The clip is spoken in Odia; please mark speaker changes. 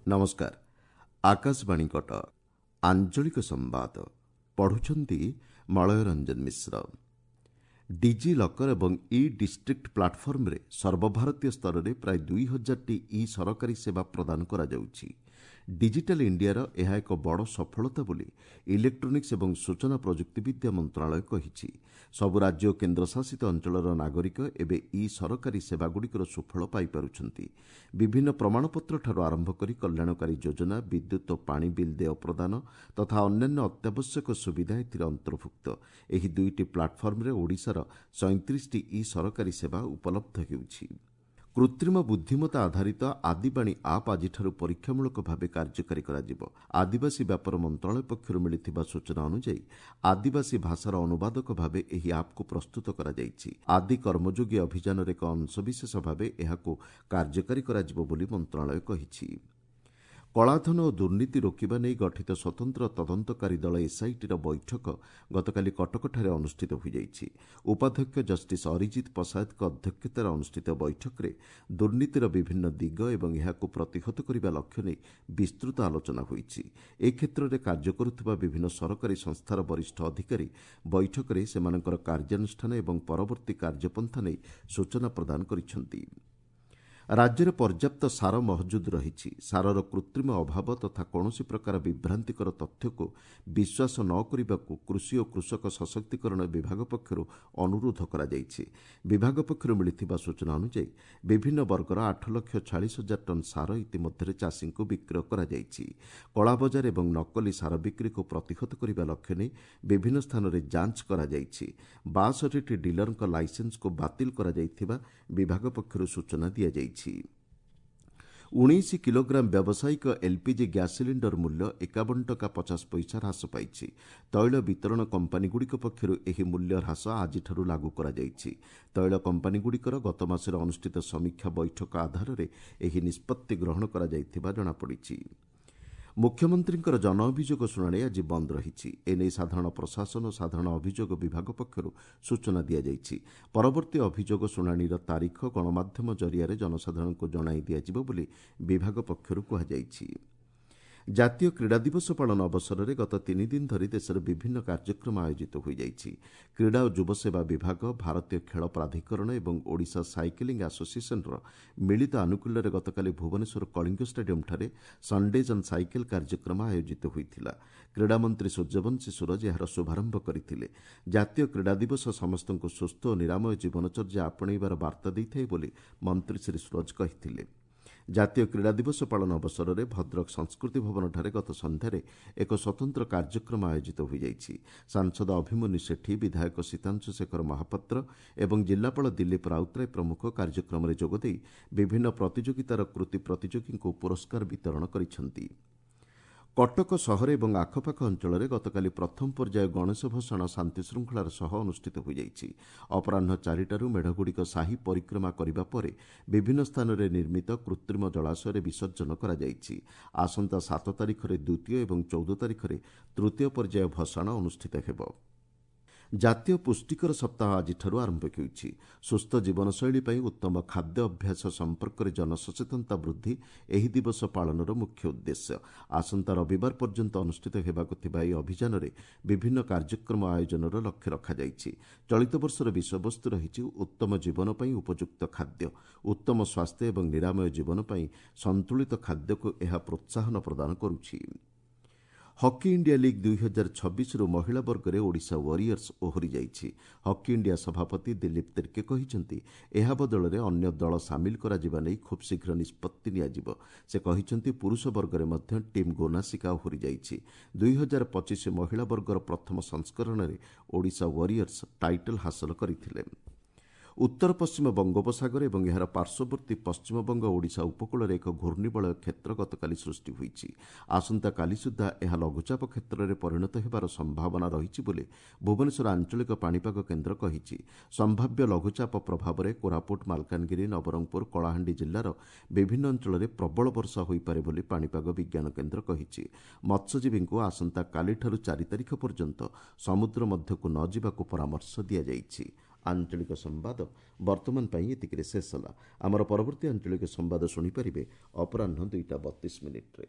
Speaker 1: ନମସ୍କାର, ଆକାଶବାଣୀ କଟକ। ଆଞ୍ଚଳିକ ସମ୍ବାଦ ପଢ଼ୁଛନ୍ତି ମଳୟ ରଞ୍ଜନ ମିଶ୍ର। ଡିଜି ଲକର ଏବଂ ଇ ଡିଷ୍ଟ୍ରିକ୍ଟ ପ୍ଲାଟଫର୍ମରେ ସର୍ବଭାରତୀୟ ସ୍ତରରେ ପ୍ରାୟ 2000ଟି ଇ ସରକାରୀ ସେବା ପ୍ରଦାନ କରାଯାଉଛି। ଡିଜିଟାଲ ଇଣ୍ଡିଆର ଏହା ଏକ ବଡ଼ ସଫଳତା ବୋଲି ଇଲେକ୍ଟ୍ରୋନିକ୍ସ ଏବଂ ସୂଚନା ପ୍ରଯୁକ୍ତିବିଦ୍ୟା ମନ୍ତ୍ରଣାଳୟ କହିଛି। ସବୁ ରାଜ୍ୟ ଓ କେନ୍ଦ୍ରଶାସିତ ଅଞ୍ଚଳର ନାଗରିକ ଏବେ ଇ ସରକାରୀ ସେବାଗୁଡ଼ିକର ସୁଫଳ ପାଇପାରୁଛନ୍ତି। ବିଭିନ୍ନ ପ୍ରମାଣପତ୍ରଠାରୁ ଆରମ୍ଭ କରି କଲ୍ୟାଣକାରୀ ଯୋଜନା, ବିଦ୍ୟୁତ୍ ଓ ପାଣି ବିଲ୍ ଦେୟ ପ୍ରଦାନ ତଥା ଅନ୍ୟାନ୍ୟ ଅତ୍ୟାବଶ୍ୟକ ସୁବିଧା ଏଥିରେ ଅନ୍ତର୍ଭୁକ୍ତ। ଏହି ଦୁଇଟି ପ୍ଲାଟଫର୍ମରେ ଓଡ଼ିଶାର 37ଟି ଇ ସରକାରୀ ସେବା ଉପଲବ୍ଧ ହେଉଛି। କୃତ୍ରିମ ବୁଦ୍ଧିମତ୍ତା ଆଧାରିତ ଆଦିବାଣୀ ଆପ୍ ଆଜିଠାରୁ ପରୀକ୍ଷାମୂଳକ ଭାବେ କାର୍ଯ୍ୟକାରୀ କରାଯିବ। ଆଦିବାସୀ ବ୍ୟାପାର ମନ୍ତ୍ରଣାଳୟ ପକ୍ଷରୁ ମିଳିଥିବା ସୂଚନା ଅନୁଯାୟୀ, ଆଦିବାସୀ ଭାଷାର ଅନୁବାଦକ ଭାବେ ଏହି ଆପ୍କୁ ପ୍ରସ୍ତୁତ କରାଯାଇଛି। ଆଦି କର୍ମଯୋଗୀ ଅଭିଯାନର ଏକ ଅଂଶବିଶେଷ ଭାବେ ଏହାକୁ କାର୍ଯ୍ୟକାରୀ କରାଯିବ ବୋଲି ମନ୍ତ୍ରଣାଳୟ କହିଛି। କଳାଧନ ଓ ଦୁର୍ନୀତି ରୋକିବା ନେଇ ଗଠିତ ସ୍ୱତନ୍ତ୍ର ତଦନ୍ତକାରୀ ଦଳ ଏସ୍ଆଇଟିର ବୈଠକ ଗତକାଲି କଟକଠାରେ ଅନୁଷ୍ଠିତ ହୋଇଯାଇଛି। ଉପାଧ୍ୟକ୍ଷ ଜଷ୍ଟିସ୍ ଅରିଜିତ ପଶାୟତଙ୍କ ଅଧ୍ୟକ୍ଷତାରେ ଅନୁଷ୍ଠିତ ବୈଠକରେ ଦୁର୍ନୀତିର ବିଭିନ୍ନ ଦିଗ ଏବଂ ଏହାକୁ ପ୍ରତିହତ କରିବା ଲକ୍ଷ୍ୟ ନେଇ ବିସ୍ତୃତ ଆଲୋଚନା ହୋଇଛି। ଏ କ୍ଷେତ୍ରରେ କାର୍ଯ୍ୟ କରୁଥିବା ବିଭିନ୍ନ ସରକାରୀ ସଂସ୍ଥାର ବରିଷ୍ଠ ଅଧିକାରୀ ବୈଠକରେ ସେମାନଙ୍କର କାର୍ଯ୍ୟାନୁଷ୍ଠାନ ଏବଂ ପରବର୍ତ୍ତୀ କାର୍ଯ୍ୟପନ୍ଥା ନେଇ ସୂଚନା ପ୍ରଦାନ କରିଛନ୍ତି। ରାଜ୍ୟରେ ପର୍ଯ୍ୟାପ୍ତ ସାର ମହଜୁଦ ରହିଛି। ସାରର କୃତ୍ରିମ ଅଭାବ ତଥା କୌଣସି ପ୍ରକାର ବିଭ୍ରାନ୍ତିକର ତଥ୍ୟକୁ ବିଶ୍ୱାସ ନ କରିବାକୁ କୃଷି ଓ କୃଷକ ସଶକ୍ତିକରଣ ବିଭାଗ ପକ୍ଷରୁ ଅନୁରୋଧ କରାଯାଇଛି। ବିଭାଗ ପକ୍ଷରୁ ମିଳିଥିବା ସୂଚନା ଅନୁଯାୟୀ, ବିଭିନ୍ନ ବର୍ଗର 8,40,000 ଟନ୍ ସାର ଇତିମଧ୍ୟରେ ଚାଷୀଙ୍କୁ ବିକ୍ରୟ କରାଯାଇଛି। କଳାବଜାର ଏବଂ ନକଲି ସାର ବିକ୍ରିକୁ ପ୍ରତିହତ କରିବା ଲକ୍ଷ୍ୟ ନେଇ ବିଭିନ୍ନ ସ୍ଥାନରେ ଯାଞ୍ଚ କରାଯାଇଛି। 62ଟି ଡିଲରଙ୍କ ଲାଇସେନ୍ସକୁ ବାତିଲ କରାଯାଇଥିବା ବିଭାଗ ପକ୍ଷରୁ ସୂଚନା ଦିଆଯାଇଛି। 19 କିଲୋଗ୍ରାମ ବ୍ୟବସାୟିକ ଏଲ୍ପିଜି ଗ୍ୟାସ୍ ସିଲିଣ୍ଡର ମୂଲ୍ୟ 51 ଟଙ୍କା 50 ପଇସା ହ୍ରାସ ପାଇଛି। ତୈଳ ବିତରଣ କମ୍ପାନୀଗୁଡ଼ିକ ପକ୍ଷରୁ ଏହି ମୂଲ୍ୟ ହ୍ରାସ ଆଜିଠାରୁ ଲାଗୁ କରାଯାଇଛି। ତୈଳ କମ୍ପାନୀଗୁଡ଼ିକର ଗତ ମାସରେ ଅନୁଷ୍ଠିତ ସମୀକ୍ଷା ବୈଠକ ଆଧାରରେ ଏହି ନିଷ୍ପତ୍ତି ଗ୍ରହଣ କରାଯାଇଥିବା ଜଣାପଡ଼ିଛି। ମୁଖ୍ୟମନ୍ତ୍ରୀଙ୍କର ଜନ ଅଭିଯୋଗ ଶୁଣାଣି ଆଜି ବନ୍ଦ ରହିଛି। ଏନେଇ ସାଧାରଣ ପ୍ରଶାସନ ଓ ସାଧାରଣ ଅଭିଯୋଗ ବିଭାଗ ପକ୍ଷରୁ ସୂଚନା ଦିଆଯାଇଛି। ପରବର୍ତ୍ତୀ ଅଭିଯୋଗ ଶୁଣାଣିର ତାରିଖ ଗଣମାଧ୍ୟମ ଜରିଆରେ ଜନସାଧାରଣଙ୍କୁ ଜଣାଇ ଦିଆଯିବ ବୋଲି ବିଭାଗ ପକ୍ଷରୁ କୁହାଯାଇଛି। ଜାତୀୟ କ୍ରୀଡ଼ା ଦିବସ ପାଳନ ଅବସରରେ ଗତ 3 ଦିନ ଧରି ଦେଶରେ ବିଭିନ୍ନ କାର୍ଯ୍ୟକ୍ରମ ଆୟୋଜିତ ହୋଇଯାଇଛି। କ୍ରୀଡ଼ା ଓ ଯୁବସେବା ବିଭାଗ, ଭାରତୀୟ ଖେଳ ପ୍ରାଧିକରଣ ଏବଂ ଓଡ଼ିଶା ସାଇକେଲିଂ ଆସୋସିଏସନ୍ର ମିଳିତ ଆନୁକୂଲ୍ୟରେ ଗତକାଲି ଭୁବନେଶ୍ୱର କଳିଙ୍ଗ ଷ୍ଟାଡିୟମ୍ଠାରେ ସନ୍ଡେଜ୍ ଅନ୍ ସାଇକେଲ କାର୍ଯ୍ୟକ୍ରମ ଆୟୋଜିତ ହୋଇଥିଲା। କ୍ରୀଡ଼ାମନ୍ତ୍ରୀ ସୂର୍ଯ୍ୟବଂଶୀ ସୂରଜ ଏହାର ଶୁଭାରମ୍ଭ କରିଥିଲେ। ଜାତୀୟ କ୍ରୀଡ଼ା ଦିବସ ସମସ୍ତଙ୍କୁ ସୁସ୍ଥ ଓ ନିରାମୟ ଜୀବନଚର୍ଯ୍ୟା ଆପଣେଇବାର ବାର୍ତ୍ତା ଦେଇଥାଏ ବୋଲି ମନ୍ତ୍ରୀ ଶ୍ରୀ ସୂରଜ କହିଥିଲେ। ଜାତୀୟ କ୍ରୀଡ଼ା ଦିବସ ପାଳନ ଅବସରରେ ଭଦ୍ରକ ସଂସ୍କୃତି ଭବନଠାରେ ଗତ ସନ୍ଧ୍ୟାରେ ଏକ ସ୍ୱତନ୍ତ୍ର କାର୍ଯ୍ୟକ୍ରମ ଆୟୋଜିତ ହୋଇଯାଇଛି। ସାଂସଦ ଅଭିମନ୍ୟୁ ସେଠୀ, ବିଧାୟକ ସୀତାଂଶୁ ଶେଖର ମହାପାତ୍ର ଏବଂ ଜିଲ୍ଲାପାଳ ଦିଲ୍ଲୀପ ରାଉତରାୟ ପ୍ରମୁଖ କାର୍ଯ୍ୟକ୍ରମରେ ଯୋଗଦେଇ ବିଭିନ୍ନ ପ୍ରତିଯୋଗିତାର କୃତି ପ୍ରତିଯୋଗୀଙ୍କୁ ପୁରସ୍କାର ବିତରଣ କରିଛନ୍ତି। କଟକ ସହର ଏବଂ ଆଖପାଖ ଅଞ୍ଚଳରେ ଗତକାଲି ପ୍ରଥମ ପର୍ଯ୍ୟାୟ ଗଣେଶ ଭସାଣ ଶାନ୍ତିଶୃଙ୍ଖଳାର ସହ ଅନୁଷ୍ଠିତ ହୋଇଯାଇଛି। ଅପରାହ୍ନ 4ଟାରୁ ମେଢ଼ଗୁଡ଼ିକ ସାହି ପରିକ୍ରମା କରିବା ପରେ ବିଭିନ୍ନ ସ୍ଥାନରେ ନିର୍ମିତ କୃତ୍ରିମ ଜଳାଶୟରେ ବିସର୍ଜନ କରାଯାଇଛି। ଆସନ୍ତା 7 ତାରିଖରେ ଦ୍ୱିତୀୟ ଏବଂ 14 ତାରିଖରେ ତୃତୀୟ ପର୍ଯ୍ୟାୟ ଭସାଣ ଅନୁଷ୍ଠିତ ହେବ। ଜାତୀୟ ପୁଷ୍ଟିକର ସପ୍ତାହ ଆଜିଠାରୁ ଆରମ୍ଭ ହେଉଛି। ସୁସ୍ଥ ଜୀବନଶୈଳୀ ପାଇଁ ଉତ୍ତମ ଖାଦ୍ୟ ଅଭ୍ୟାସ ସମ୍ପର୍କରେ ଜନସଚେତନତା ବୃଦ୍ଧି ଏହି ଦିବସ ପାଳନର ମୁଖ୍ୟ ଉଦ୍ଦେଶ୍ୟ। ଆସନ୍ତା ରବିବାର ପର୍ଯ୍ୟନ୍ତ ଅନୁଷ୍ଠିତ ହେବାକୁ ଥିବା ଏହି ଅଭିଯାନରେ ବିଭିନ୍ନ କାର୍ଯ୍ୟକ୍ରମ ଆୟୋଜନର ଲକ୍ଷ୍ୟ ରଖାଯାଇଛି। ଚଳିତ ବର୍ଷର ବିଷୟବସ୍ତୁ ରହିଛି ଉତ୍ତମ ଜୀବନ ପାଇଁ ଉପଯୁକ୍ତ ଖାଦ୍ୟ। ଉତ୍ତମ ସ୍ୱାସ୍ଥ୍ୟ ଏବଂ ନିରାମୟ ଜୀବନ ପାଇଁ ସନ୍ତୁଳିତ ଖାଦ୍ୟକୁ ଏହା ପ୍ରୋତ୍ସାହନ ପ୍ରଦାନ କରୁଛି। ହକି ଇଣ୍ଡିଆ ଲିଗ୍ 2026ରୁ ମହିଳା ବର୍ଗରେ ଓଡ଼ିଶା ୱାରିୟର୍ସ ଓହରି ଯାଇଛି। ହକି ଇଣ୍ଡିଆ ସଭାପତି ଦିଲ୍ଲୀପ ତିର୍କେ କହିଛନ୍ତି, ଏହା ବଦଳରେ ଅନ୍ୟ ଦଳ ସାମିଲ କରାଯିବା ନେଇ ଖୁବ୍ ଶୀଘ୍ର ନିଷ୍ପତ୍ତି ନିଆଯିବ। ସେ କହିଛନ୍ତି, ପୁରୁଷ ବର୍ଗରେ ମଧ୍ୟ ଟିମ୍ ଗୋନାସିକା ଓହରି ଯାଇଛି। 2025 ମହିଳା ବର୍ଗର ପ୍ରଥମ ସଂସ୍କରଣରେ ଓଡ଼ିଶା ୱାରିୟର୍ସ ଟାଇଟଲ୍ ହାସଲ କରିଥିଲେ। ଉତ୍ତର ପଶ୍ଚିମ ବଙ୍ଗୋପସାଗର ଏବଂ ଏହାର ପାର୍ଶ୍ୱବର୍ତ୍ତୀ ପଶ୍ଚିମବଙ୍ଗ ଓଡ଼ିଶା ଉପକୂଳରେ ଏକ ଘୂର୍ଣ୍ଣିବଳୟ କ୍ଷେତ୍ର ଗତକାଲି ସୃଷ୍ଟି ହୋଇଛି। ଆସନ୍ତାକାଲି ସୁଦ୍ଧା ଏହା ଲଘୁଚାପ କ୍ଷେତ୍ରରେ ପରିଣତ ହେବାର ସମ୍ଭାବନା ରହିଛି ବୋଲି ଭୁବନେଶ୍ୱର ଆଞ୍ଚଳିକ ପାଣିପାଗ କେନ୍ଦ୍ର କହିଛି। ସମ୍ଭାବ୍ୟ ଲଘୁଚାପ ପ୍ରଭାବରେ କୋରାପୁଟ, ମାଲକାନଗିରି, ନବରଙ୍ଗପୁର, କଳାହାଣ୍ଡି ଜିଲ୍ଲାର ବିଭିନ୍ନ ଅଞ୍ଚଳରେ ପ୍ରବଳ ବର୍ଷା ହୋଇପାରେ ବୋଲି ପାଣିପାଗ ବିଜ୍ଞାନ କେନ୍ଦ୍ର କହିଛି। ମତ୍ସ୍ୟଜୀବୀଙ୍କୁ ଆସନ୍ତାକାଲିଠାରୁ 4 ତାରିଖ ପର୍ଯ୍ୟନ୍ତ ସମୁଦ୍ର ମଧ୍ୟକୁ ନ ଯିବାକୁ ପରାମର୍ଶ ଦିଆଯାଇଛି। ଆଞ୍ଚଳିକ ସମ୍ବାଦ ବର୍ତ୍ତମାନ ପାଇଁ ଏତିକିରେ ଶେଷ ହେଲା। ଆମର ପରବର୍ତ୍ତୀ ଆଞ୍ଚଳିକ ସମ୍ବାଦ ଶୁଣିପାରିବେ ଅପରାହ୍ନ 2ଟା 32 ମିନିଟ୍ରେ।